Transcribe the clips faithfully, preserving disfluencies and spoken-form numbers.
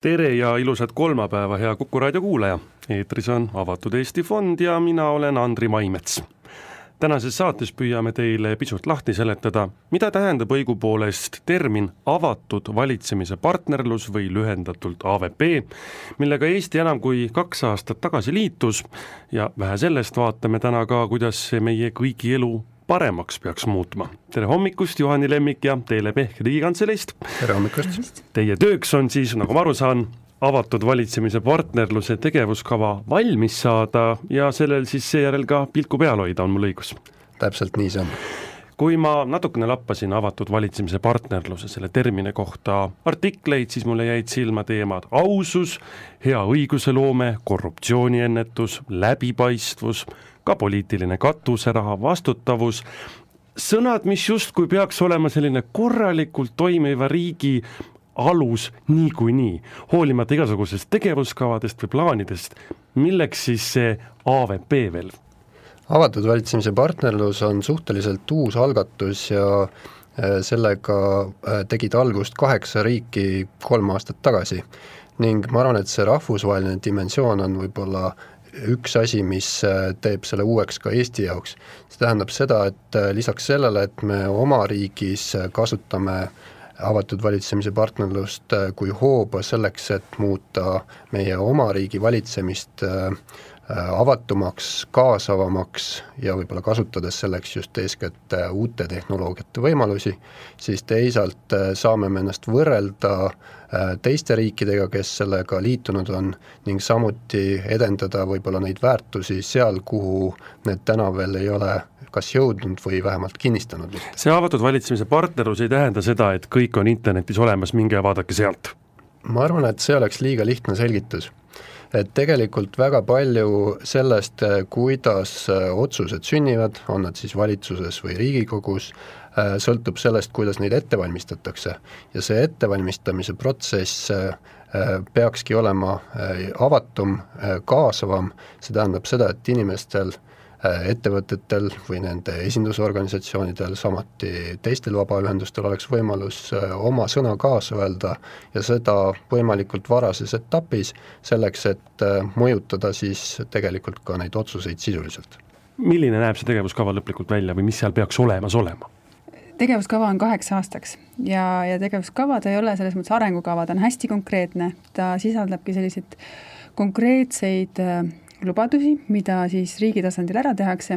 Tere ja ilusat kolmapäeva, hea Kuku raadio kuulaja. Eetris on Avatud Eesti Fond ja mina olen Andri Maimets. Tänases saates püüame teile pisut lahti seletada, mida tähendab õigupoolest termin avatud valitsemise partnerlus või lühendatult A V P, millega Eesti enam kui kaks aastat tagasi liitus ja vähe sellest vaatame täna ka, kuidas see meie kõigi elu paremaks peaks muutma. Tere hommikust, Juhani Lemmik ja Teele Pehk Riigikantselist. Tere hommikust. Teie tööks on siis, nagu ma aru saan, avatud valitsemise partnerluse tegevuskava valmis saada ja sellel siis seejärel ka pilku peal hoida, on mul õigus? Täpselt nii see on. Kui ma natukene lappasin avatud valitsemise partnerluse selle termine kohta artikleid, siis mulle jäid silma teemad ausus, hea õiguseloome, korruptsiooniennetus, läbipaistvus, ka poliitiline katuseraha, vastutavus, sõnad, mis justkui peaks olema selline korralikult toimiva riigi alus niikuinii, hoolimata igasugusest tegevuskavadest või plaanidest. Milleks siis see A V P veel? Avatud valitsemise partnerlus on suhteliselt uus algatus ja sellega tegid algust kaheksa riiki kolm aastat tagasi ning ma arvan, et see rahvusvaheline dimensioon on võib-olla üks asi, mis teeb selle uueks ka Eesti jaoks. See tähendab seda, et lisaks sellele, et me oma riigis kasutame avatud valitsemise partnerlust kui hooba selleks, et muuta meie oma riigi valitsemist avatumaks, kaasavamaks ja võib-olla kasutades selleks just eeskätt uute tehnoloogiate võimalusi, siis teisalt saame me ennast võrrelda teiste riikidega, kes sellega liitunud on ning samuti edendada võib-olla neid väärtusi seal, kuhu need täna veel ei ole kas jõudnud või vähemalt kinnistanud. See avatud valitsemise partnerlus ei tähenda seda, et kõik on internetis olemas, minge ja vaadake sealt. Ma arvan, et see oleks liiga lihtne selgitus. Et tegelikult väga palju sellest, kuidas otsused sünnivad, on nad siis valitsuses või Riigikogus, sõltub sellest, kuidas neid ette valmistatakse. Ja see ettevalmistamise protsess peakski olema avatum, kaasavam. See tähendab seda, et inimestel, ettevõtetel või nende esindusorganisatsioonidel, samuti teistel vabaühendustel oleks võimalus oma sõna kaasa öelda ja seda võimalikult varases etapis selleks, et mõjutada siis tegelikult ka neid otsuseid sisuliselt. Milline näeb see tegevuskava lõplikult välja või mis seal peaks olemas olema? Tegevuskava on kaheks aastaks ja, ja tegevuskava ta ei ole selles mõttes arengukava, ta on hästi konkreetne, ta sisaldabki selliseid konkreetseid lubadusi, mida siis riigi tasandil ära tehakse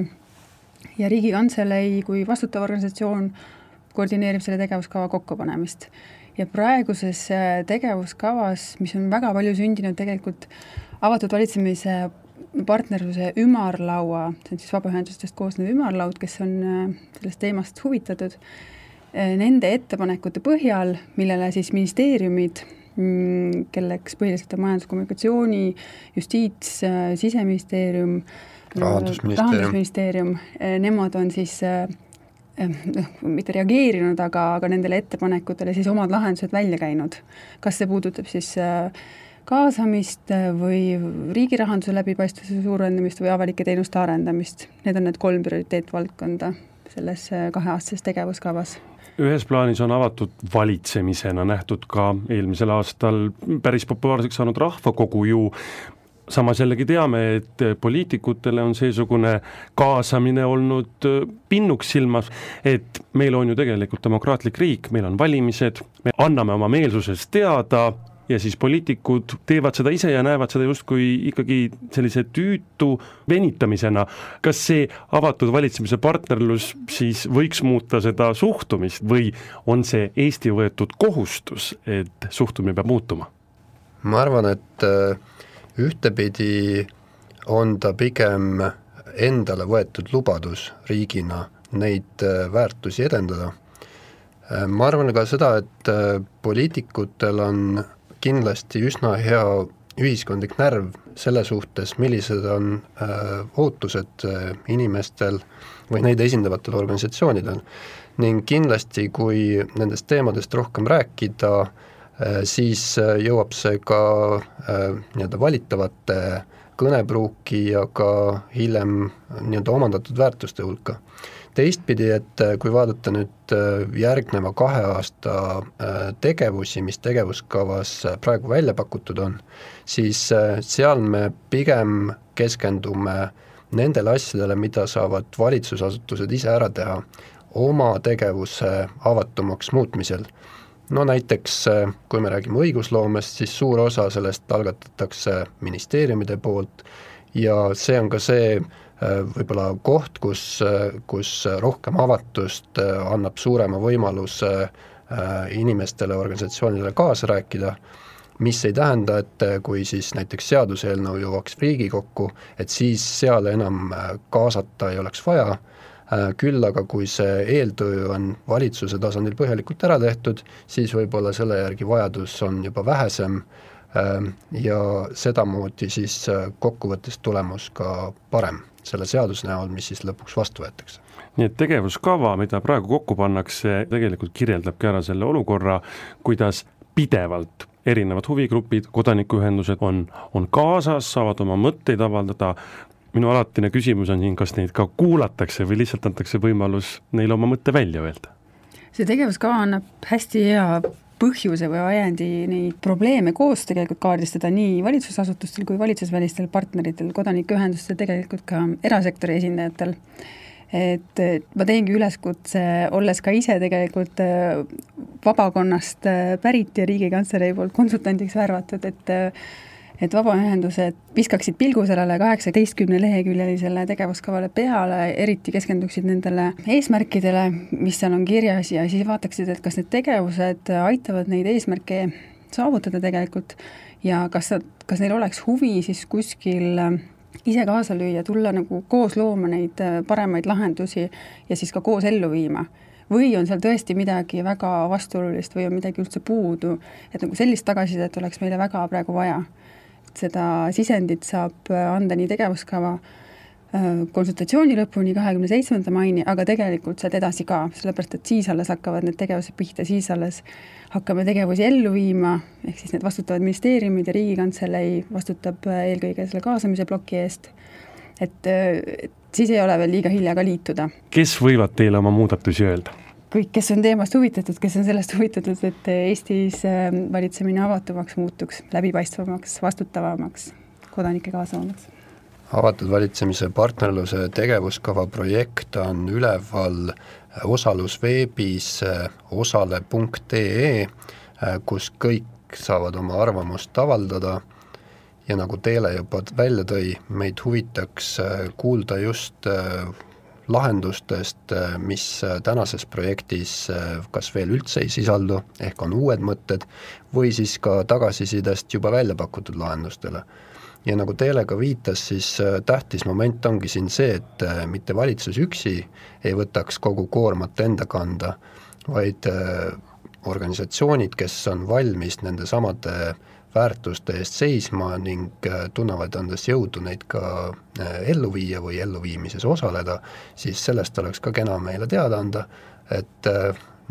ja Riigikantselei kui vastutav organisatsioon koordineerib selle tegevuskava kokkupanemist. Ja praeguses tegevuskavas, mis on väga palju sündinud tegelikult avatud valitsemise partnerluse ümarlaua, see on siis vabaühendustest koosnev ümarlaud, kes on sellest teemast huvitatud, nende ettepanekute põhjal, millele siis ministeeriumid, kelleks põhiliselt on majanduskommunikatsiooni, justiits, siseministeerium, rahandusministeerium, rahandusministeerium, nemad on siis mitte reageerinud, aga, aga nendele ettepanekutele siis omad lahendused välja käinud. Kas see puudutab siis kaasamist või riigi rahanduse läbipaistvuse suurendamist või avalike teenuste arendamist. Need on need kolm prioriteetvaldkonda selles kaheaastases tegevuskavas. Ühes plaanis on avatud valitsemisena nähtud ka eelmisel aastal päris populaarseks saanud rahvakogu ju. Samas jällegi teame, et poliitikutele on seesugune kaasamine olnud pinnuks silmas, et meil on ju tegelikult demokraatlik riik, meil on valimised, me anname oma meelsusest teada ja siis poliitikud teevad seda ise ja näevad seda justkui ikkagi sellise tüütu venitamisena. Kas see avatud valitsemise partnerlus siis võiks muuta seda suhtumist või on see Eesti võetud kohustus, et suhtumine peab muutuma? Ma arvan, et ühtepidi on ta pigem endale võetud lubadus riigina neid väärtusi edendada. Ma arvan ka seda, et poliitikutel on kindlasti üsna hea ühiskondlik närv selle suhtes, millised on äh, ootused äh, inimestel või neid esindavatel organisatsioonidel. Ning kindlasti, kui nendest teemadest rohkem rääkida, äh, siis äh, jõuab see ka äh, nii-öelda valitavate kõnepruuki ja ka hiljem nii-öelda omandatud väärtuste hulka. teistpidi, et kui vaadata nüüd järgneva kahe aasta tegevusi, mis tegevuskavas praegu välja pakutud on, siis seal me pigem keskendume nendele asjadele, mida saavad valitsusasutused ise ära teha oma tegevuse avatumaks muutmisel. No näiteks, kui me räägime õigusloomest, siis suur osa sellest algatatakse ministeeriumide poolt ja see on ka see võib-olla koht, kus, kus rohkem avatust annab suurema võimaluse inimestele, organisatsioonidele kaasa rääkida, mis ei tähenda, et kui siis näiteks seaduseelnõu jõuaks Riigikokku, et siis seal enam kaasata ei oleks vaja, küll aga kui see eeltöö on valitsuse tasandil põhjalikult ära tehtud, siis võib-olla selle järgi vajadus on juba vähesem ja sedamoodi siis kokkuvõttes tulemus ka parem selle seaduse näol, mis siis lõpuks vastu võetakse. Nii et tegevuskava, mida praegu kokku pannakse, tegelikult kirjeldabki ära selle olukorra, kuidas pidevalt erinevad huvigrupid, kodanikuühendused on, on kaasas, saavad oma mõtteid avaldada. Minu alatine küsimus on siin, kas neid ka kuulatakse või lihtsalt antakse võimalus neile oma mõtte välja öelda? See tegevuskava annab hästi hea põhjuse või ajendi neid probleeme koos tegelikult kaardistada nii valitsusasutustel kui valitsusvälistel partneritel, kodanikuühendustel, tegelikult ka erasektori esindajatel. Et ma teengi üleskutse, olles ka ise tegelikult vabakonnast pärit ja Riigikantselei poolt konsultandiks värvatud, et et vabaühendused viskaksid pilgu sellele kaheksateistkümne leheküljelisele tegevuskavale peale, eriti keskenduksid nendele eesmärkidele, mis seal on kirjas ja siis vaataksid, et kas need tegevused aitavad neid eesmärke saavutada tegelikult ja kas, kas neil oleks huvi siis kuskil ise kaasa lüüa, tulla nagu koos looma neid paremaid lahendusi ja siis ka koos ellu viima. Või on seal tõesti midagi väga vastuolulist või on midagi üldse puudu, et nagu sellist tagasisidet oleks meile väga praegu vaja. Seda sisendit saab anda nii tegevuskava konsultatsiooni lõpuni kahekümne seitsmenda maini, aga tegelikult sealt edasi ka, sellepärast et siis alles hakkavad need tegevused pihta, siis alles hakkame tegevusi ellu viima, ehk siis need vastutavad ministeeriumid ja Riigikantselei vastutab eelkõige selle kaasamise ploki eest, et, et siis ei ole veel liiga hilja ka liituda. Kes võivad teile oma muudatusi öelda? Kõik, kes on teemast huvitatud, kes on sellest huvitatud, et Eestis valitsemine avatumaks muutuks, läbipaistvamaks, vastutavamaks, kodanike kaasavamaks. Avatud valitsemise partnerluse tegevuskava projekt on üleval osalusveebis osale punkt ee, kus kõik saavad oma arvamust avaldada ja nagu Teele juba välja tõi, meid huvitaks kuulda just lahendustest, mis tänases projektis kas veel üldse ei sisaldu, ehk on uued mõtted, või siis ka tagasisidest juba välja pakutud lahendustele. Ja nagu Teele ka viitas, siis tähtis moment ongi siin see, et mitte valitsus üksi ei võtaks kogu koormat enda kanda, vaid organisatsioonid, kes on valmis nende samade väärtuste eest seisma ning tunnevad endas jõudu neid ka ellu viia või elluviimises osaleda, siis sellest oleks ka kena meile teada anda, et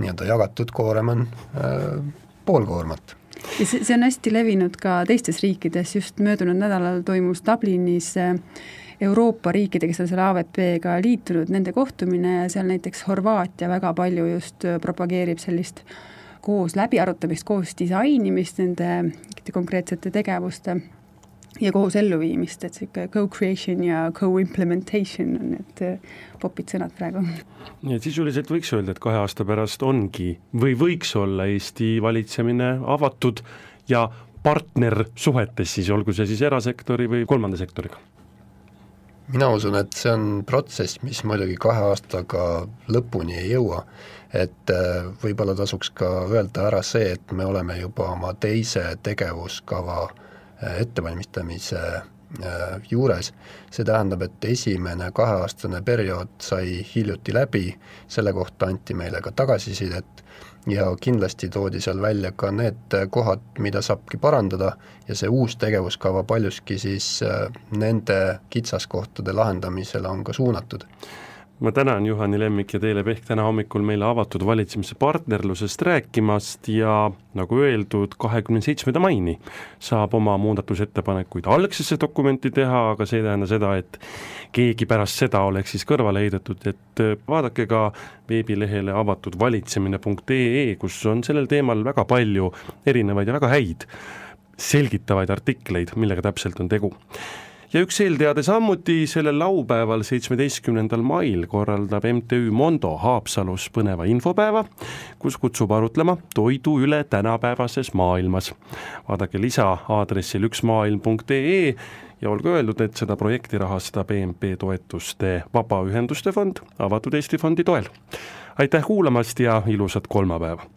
nii-öelda jagatud koorem on pool koormat. Ja see, see on hästi levinud ka teistes riikides, just möödunud nädalal toimus Dublinis Euroopa riikide, kes on selle A V P-ga liitunud, nende kohtumine ja seal näiteks Horvaatia väga palju just propageerib sellist koos läbiarutamist, koos disainimist nende konkreetsete tegevuste ja koos elluviimist, et see co-creation ja co-implementation on need popid sõnad praegu. Nii et sisuliselt võiks öelda, et kahe aasta pärast ongi või võiks olla Eesti valitsemine avatud ja partnersuhetes siis, olgu see siis erasektori või kolmanda sektoriga? Mina usun, et see on protsess, mis muidugi kahe aastaga lõpuni ei jõua, et võib-olla tasuks ka öelda ära see, et me oleme juba oma teise tegevuskava ettevalmistamise juures. See tähendab, et esimene kaheaastane periood sai hiljuti läbi, selle kohta anti meile ka tagasisidet ja kindlasti toodi seal välja ka need kohad, mida saabki parandada ja see uus tegevuskava paljuski siis nende kitsaskohtade lahendamisele on ka suunatud. ma tänan Juhani Lemmik ja Teele Pehk täna hommikul meile avatud valitsemise partnerlusest rääkimast ja nagu öeldud, kahekümne seitsmenda maini saab oma muudatusettepanekuid algsesse dokumenti teha, aga see ei tähenda seda, et keegi pärast seda oleks siis kõrvale heidetud, et vaadake ka veebilehele avatud valitsemine punkt ee, kus on sellel teemal väga palju erinevaid ja väga häid selgitavaid artikleid, millega täpselt on tegu. Ja üks eelteade sammuti sellel laupäeval seitsmeteistkümnendal mail korraldab M T Ü Mondo Haapsalus põneva infopäeva, kus kutsub arutlema toidu üle tänapäevases maailmas. Vaadake lisa aadressil üks maailm punkt ee ja olgu öeldud, et seda projekti rahastab E M P toetuste Vabaühenduste fond Avatud Eesti fondi toel. Aitäh kuulamast ja ilusat kolmapäeva!